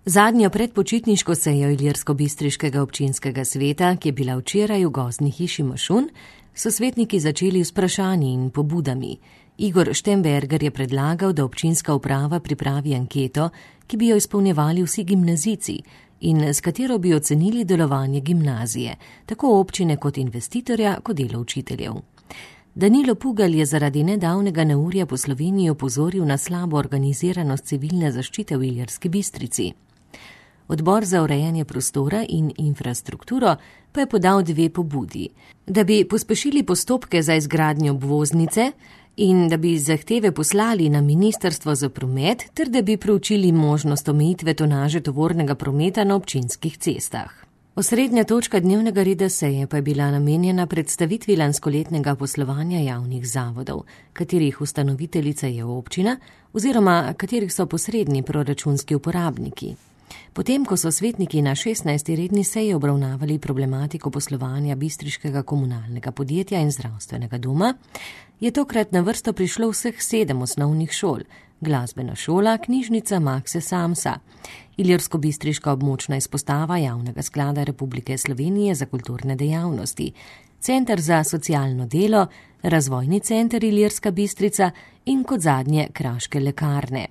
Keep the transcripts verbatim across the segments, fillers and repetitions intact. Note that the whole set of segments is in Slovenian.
Zadnjo predpočitniško sejo Ilirsko-Bistriškega občinskega sveta, ki je bila včeraj v gozdni hiši Mošun, so svetniki začeli s vprašanji in pobudami. Igor Štemberger je predlagal, da občinska uprava pripravi anketo, ki bi jo izpolnjevali vsi gimnazijci in s katero bi ocenili delovanje gimnazije, tako občine kot investitorja, kot delo učiteljev. Danilo Pugalj je zaradi nedavnega neurja po Sloveniji opozoril na slabo organiziranost civilne zaščite v Ilirski Bistrici. Odbor za urejanje prostora in infrastrukturo pa je podal dve pobudi, da bi pospešili postopke za izgradnjo obvoznice in da bi zahteve poslali na Ministrstvo za promet ter da bi proučili možnost omejitve tonaže tovornega prometa na občinskih cestah. Osrednja točka dnevnega reda seje pa je bila namenjena predstavitvi lanskoletnega poslovanja javnih zavodov, katerih ustanoviteljica je občina oziroma katerih so posredni proračunski uporabniki. Potem, ko so svetniki na šestnajsti redni seji obravnavali problematiko poslovanja bistriškega komunalnega podjetja in zdravstvenega doma, je tokrat na vrsto prišlo vseh sedem osnovnih šol, glasbena šola, knjižnica Makse Samsa, Ilirsko-Bistriška območna izpostava Javnega sklada Republike Slovenije za kulturne dejavnosti, Center za socialno delo, Razvojni center Ilirska Bistrica in kot zadnje Kraške lekarne.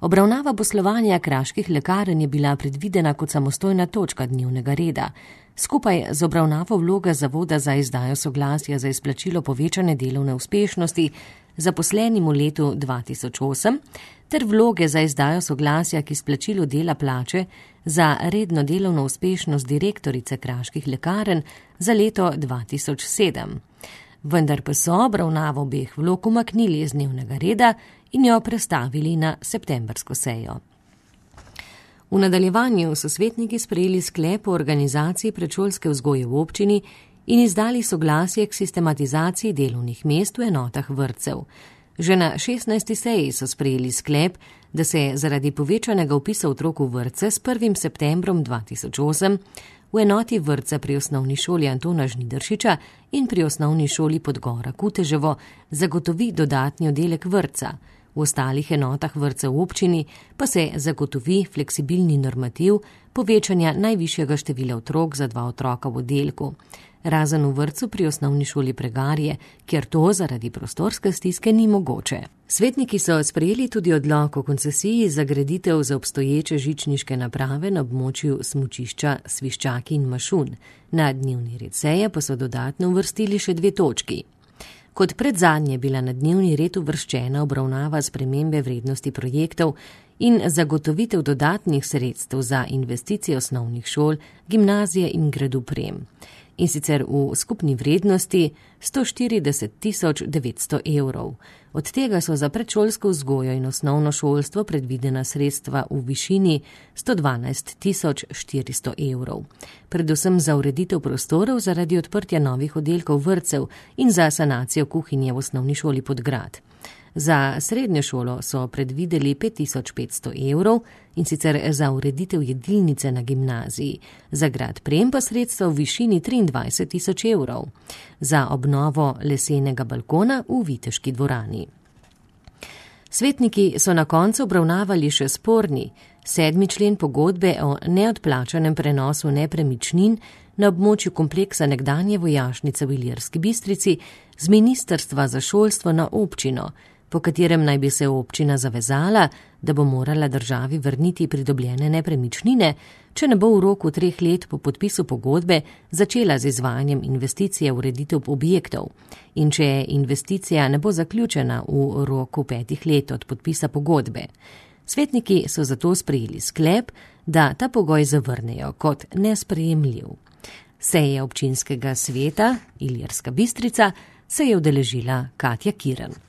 Obravnava poslovanja kraških lekarn je bila predvidena kot samostojna točka dnevnega reda, skupaj z obravnavo vloga zavoda za izdajo soglasja za izplačilo povečane delovne uspešnosti zaposlenim v letu dva tisoč osem ter vloge za izdajo soglasja k izplačilu dela plače za redno delovno uspešnost direktorice kraških lekarn za leto dva tisoč sedem. Vendar pa so obravnavo obeh vlog umaknili iz dnevnega reda in jo prestavili na septembrsko sejo. V nadaljevanju so svetniki sprejeli sklep o organizaciji predšolske vzgoje v občini in izdali soglasje k sistematizaciji delovnih mest v enotah vrtcev. Že na šestnajsti seji so sprejeli sklep, da se zaradi povečanega vpisa otrok v vrtce s prvim septembrom dva tisoč osem v enoti vrtca pri osnovni šoli Antona Žnidaršiča in pri osnovni šoli Podgora Kuteževo zagotovi dodatni oddelek vrtca. V ostalih enotah vrtca v občini pa se zagotovi fleksibilni normativ povečanja najvišjega števila otrok za dva otroka v oddelku, razen v vrtcu pri osnovni šoli Pregarje, kjer to zaradi prostorske stiske ni mogoče. Svetniki so sprejeli tudi odlok o koncesiji za graditev za obstoječe žičniške naprave na območju smučišča Sviščaki in Mošun. Na dnevni red seje pa so dodatno uvrstili še dve točki. Kot predzadnje je bila na dnevni red uvrščena obravnava spremembe vrednosti projektov in zagotovitev dodatnih sredstev za investicije osnovnih šol, gimnazije in gradu Prem. In sicer v skupni vrednosti sto štirideset tisoč devetsto evrov. Od tega so za predšolsko vzgojo in osnovno šolstvo predvidena sredstva v višini sto dvanajst tisoč štiristo evrov. Predvsem za ureditev prostorov zaradi odprtja novih oddelkov vrtcev in za sanacijo kuhinje v osnovni šoli Podgrad. Za srednjo šolo so predvideli pet tisoč petsto evrov in sicer za ureditev jedilnice na gimnaziji, za grad Prem pa sredstva v višini triindvajset tisoč evrov, za obnovo lesenega balkona v Viteški dvorani. Svetniki so na koncu obravnavali še sporni sedmi člen pogodbe o neodplačanem prenosu nepremičnin na območju kompleksa nekdanje vojašnice v Ilirski Bistrici z Ministrstva za šolstvo na občino, po katerem naj bi se občina zavezala, da bo morala državi vrniti pridobljene nepremičnine, če ne bo v roku treh let po podpisu pogodbe začela z izvajanjem investicije v ureditev objektov in če investicija ne bo zaključena v roku petih let od podpisa pogodbe. Svetniki so zato sprejeli sklep, da ta pogoj zavrnejo kot nesprejemljiv. Seje občinskega sveta Ilirska Bistrica se je udeležila Katja Kirn.